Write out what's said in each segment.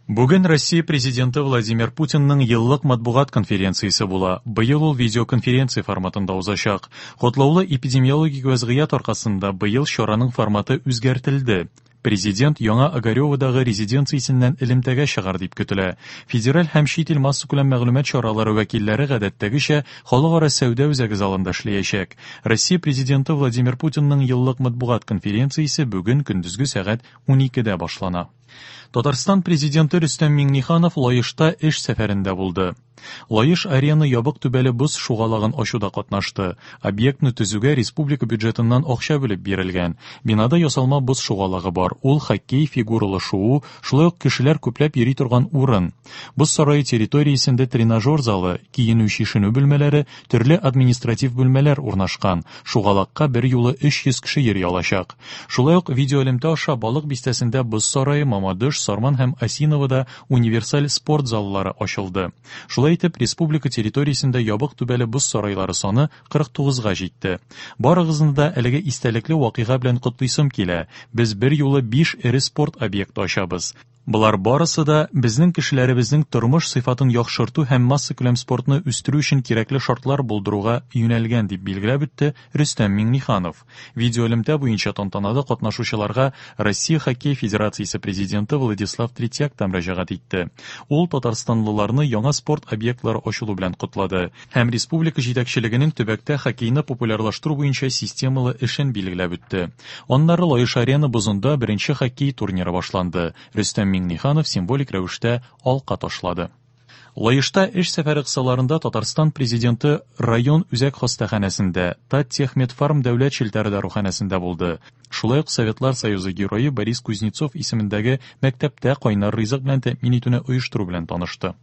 Бүген Россия Президенты Владимир Путинның еллык матбугат конференциясе була. Быел ул видеоконференция форматында узачак. Котлаулы эпидемиологик вәзгыять аркасында быел чараның форматы үзгәртелде. Президент Яңа Огареводагы резиденциясеннән элемтәгә чыгар дип көтелә. Федераль һәм чит ил массакүләм мәгълүмат чаралары вәкилләре гадәттәгечә Халыкара сәүдә үзәге залында эшләячәк. Россия Президенты Владимир Путинның еллык матбугат конференциясе бүген көндезге сәгать 12дә башлана. Татарстан Президенты Рөстәм Миңнеханов Лаешта эш сәфәрендә булды. Лаеш Арена ябык түбәле боз шугалагын ачуда катнашты. Объектны төзүгә республика бюджетыннан акча бүлеп бирелгән. Бинада ясалма боз шугалагы бар. Ул хоккей, фигуралы шуу, шулай ук кешеләр күпләп йөри торган урын. Боз сарае территориясендә тренажер залы, киенү-чишенү бүлмәләре, төрле административ бүлмәләр урнашкан. Шугалакка берьюлы 300 кеше йөри алачак. Шулай ук видеоэлемтә аша Балык Бистәсендә Боз сарае, Мамадыш, Сарман һәм Осиновода универсаль спорт заллары ачылды. Шулай итеп, республика территориясендә ябык түбәле боз сарайлары саны 49 га җитте. Барыгызны да әлеге истәлекле вакыйга белән котлыйсым килә. Без берьюлы биш эре спорт объекты ачабыз. Болар барысы да безнең кешеләребезнең тормыш сыйфатын яхшырту һәм массакүләм спортны үстерү өчен кирәкле шартлар булдыруга юнәлгән, дип билгеләп үтте Рөстәм Миңнеханов. Видеоэлемтә буенча тантанада катнашучыларга Россия Хоккей федерациясе президенты Владислав Третьяк та мөрәҗәгать итте. Ул татарстанлыларны яңа спорт объектлары ачылу белән котлады һәм республика җитәкчелегенең төбәктә хоккейны популярлаштыру буенча системалы эшен билгеләп үтте. Аннары Лаеш-Арена бозында беренче хоккей турниры башланды. Рөстәм Миңнеханов символик рәвештә алка ташлады. Лаешта эш сәфәре кысаларында Татарстан Президенты район үзәк хастаханәсендә, Таттехмедфарм дәүләт челтәре даруханәсендә булды. Шулай ук Советлар Союзы Герое Борис Кузнецов исемендәге мәктәптә кайнар ризык белән тәэмин итүне оештыру белән танышты.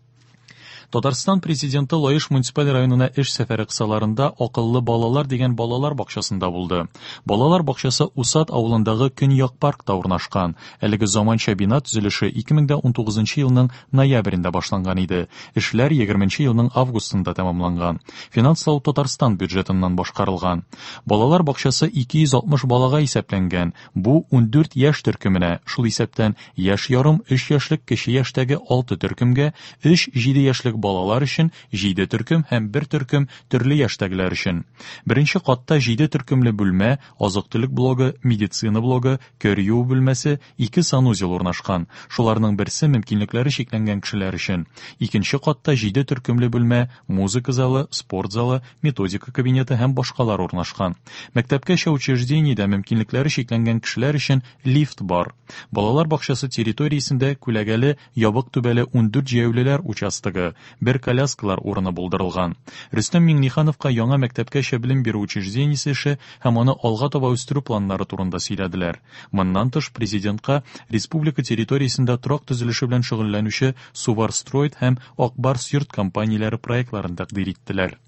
Татарстан Президенты Лаеш муниципаль районына эш сәфәре кысаларында Акыллы балалар дигән балалар бакчасында булды. Балалар бакчасы Усад авылындагы Көньяк паркта урнашкан. Әлеге заманча бина төзелеше 2019 елның ноябрендә башланган иде. Эшләр 20 елның августында тәмамланган. Финанслау Татарстан бюджетыннан башкарылган. Балалар бакчасы 260 балага исәпләнгән. Бу 14 яшь төркеменә, шул исәптән яшь ярым, өч яшьлек кече яшьтәге алты төркемгә, өч-җиде яшьлек балалар өчен җиде төркем һәм бер төркем төрле яшьтәгеләр өчен. Беренче катта җиде төркемле бүлмә, азык-төлек блогы, медицина блогы, кер юу бүлмәсе, ике санузел урнашкан. Шуларның берсе мөмкинлекләре чикләнгән кешеләр өчен. Икенче катта җиде төркемле бүлмә, музыка залы, спорт залы, методика кабинеты һәм башкалар урнашкан. Мәктәпкәчә учреждениедә мөмкинлекләре чикләнгән кешеләр өчен лифт бар. Балалар бакчасы территориясендә күләгәле, ябык түбәле 14 җәяүлеләр участогы, бер коляскалар урыны булдырылган. Рөстәм Миңнехановка яңа мәктәпкәчә белем бирү учреждениесе эше һәм аны алга таба үстерү планнары турында сөйләделәр. Моннан тыш, Президентка республика территориясендә торак төзелеше белән шөгыльләнүче Суварстройт һәм Ак Барс йорт компанияләре проектларын тәкъдир иттеләр.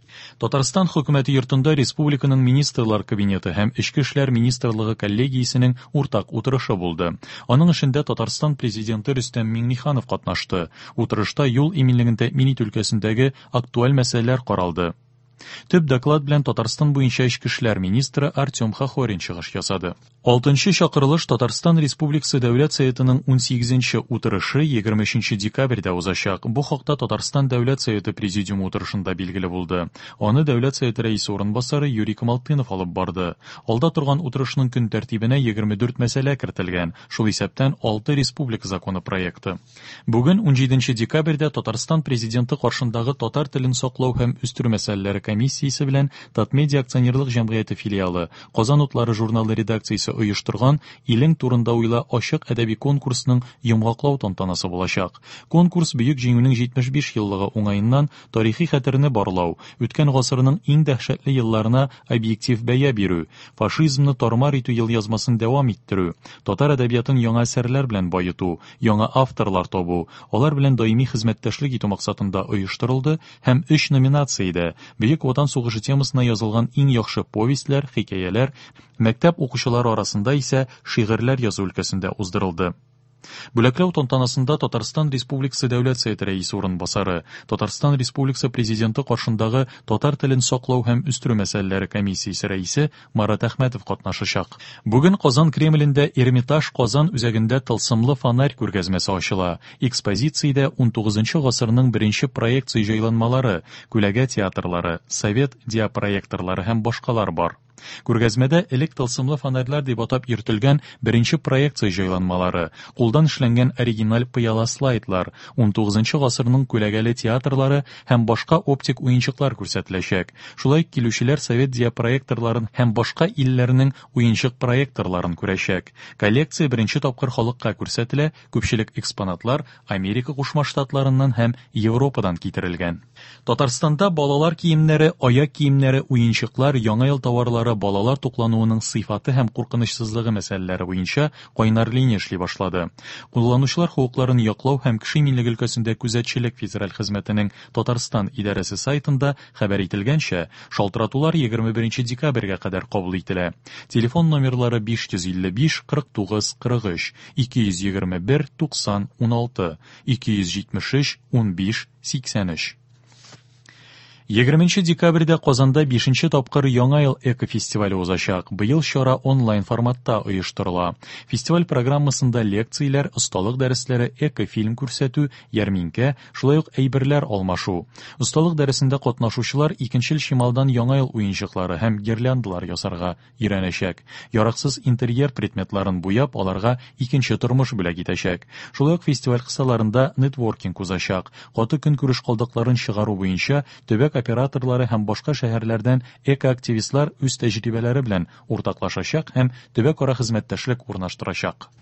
Татарстан Хөкүмәте йортында республиканың Министрлар Кабинеты һәм Эчке эшләр министрлыгы коллегиясенең уртак утырышы булды. Аның эшендә Татарстан Президенты Рөстәм Миңнеханов катнашты. Утырышта юл иминлеген тәэмин итү өлкәсендәге актуаль мәсьәләләр каралды. Төп доклад белән Татарстан буенча эчке эшләр министры Артем Хохорин чыгыш ясады. Алтынчы чакырылыш Татарстан Республикасы Дәүләт Советының унсигезенче утырышы 23 декабрьдә узачак. Бу хакта Татарстан Дәүләт Советы Президиумы утырышында билгеле булды. Аны Дәүләт Советы Рәисе урынбасары Юрий Камалтынов алып барды. Алда торган утырышның көн тәртибенә 24 мәсьәлә кертелгән, шул исәптән алты республика законы проекты. Бүген, унҗиденче декабрьдә Татарстан Президенты каршындагы татар телен саклау һәм үстерү мәсьәләләре комиссиясе белән Татмедиа акционерлык җәмгыяте филиалы, Казан утлары журналы редакциясе оештырган Илең турында уйла ачык әдәби конкурсның йомгаклау тантанасы булачак. Конкурс Бөек Җиңүнең 75 еллыгы уңаеннан тарихи хәтерне барлау, үткән гасырның иң дәһшәтле елларына объектив бәя бирү, фашизмны тар-мар итү елъязмасын дәвам иттерү, татар әдәбиятын яңа әсәрләр белән баету, яңа авторлар табу, алар белән даими хезмәттәшлек итү максатында оештырылды һәм өч номинациядә, Бөек Ватан сугышы темасына язылган иң яхшы повестьләр, хикәяләр, мәктәп укучылары арасында исә шигырьләр язу өлкәсендә уздырылды. Бүләкләү тантанасында Татарстан Республикасы Дәүләт Советы Рәисе урынбасары, Татарстан Республикасы Президенты каршындагы татар телен саклау һәм үстерү мәсьәләләре комиссиясе рәисе Марат Әхмәтов катнашачак. Бүген Казан Кремлендә Эрмитаж Казан үзәгендә Тылсымлы фонарь күргәзмәсе ачыла. Экспозициядә унтугызынчы гасырның беренче проекция җайланмалары, күләгә театрлары, совет диапроекторлары һәм башкалар бар. Күргәзмәдә элек тылсымлы фонарьлар дип атап йөртелгән беренче проекция җайланмалары, кулдан эшләнгән оригиналь пыяла слайдлар, унтугызынчы гасырның күләгәле театрлары һәм башка оптик уенчыклар күрсәтеләчәк. Шулай ук килүчеләр совет диапроекторларын һәм башка илләрнең уенчык проекторларын күрәчәк. Коллекция беренче тапкыр халыкка күрсәтелә, күпчелек экспонатлар Америка Кушма Штатларыннан һәм Европадан китерелгән. Татарстанда балалар киемнәре, аяк киемнәре, уенчыклар, яңа ел товарлары, балалар туклануының сыйфаты һәм куркынычсызлыгы мәсьәләләре буенча кайнар линия эшли башлады. Кулланучылар хокукларын яклау һәм кеше иминлеге өлкәсендә күзәтчелек федераль хезмәтенең Татарстан идарәсе сайтында хәбәр ителгәнчә, шалтыратулар 21 нче декабрьгә кадәр кабул ителә. Телефон номерлары 555 49 43, 221 90 16, 273 15 83. Егерменче декабрьдә Казанда бишенче тапкыр Яңа ел экофестивале узачак. Быел чара онлайн форматта оештырыла. Фестиваль программасында лекцияләр, осталык дәресләре, экофильм күрсәтү, ярминкә, шулай ук әйберләр алмашу. Осталык дәресендә катнашучылар икенчел чималдан Яңа ел уенчыклары һәм гирляндалар ясарга өйрәнәчәк, яраксыз интерьер предметларын буяп, аларга икенче тормыш бүләк итәчәк. Шулай ук фестиваль кысаларында нетворкинг узачак, каты көнкүреш калдыкларын чыгару буенча төбәк операторлары һәм башка шәһәрләрдән экоактивистлар үз тәҗрибәләре белән уртаклашачак һәм төбәкара хезмәттәшлек урнаштырачак.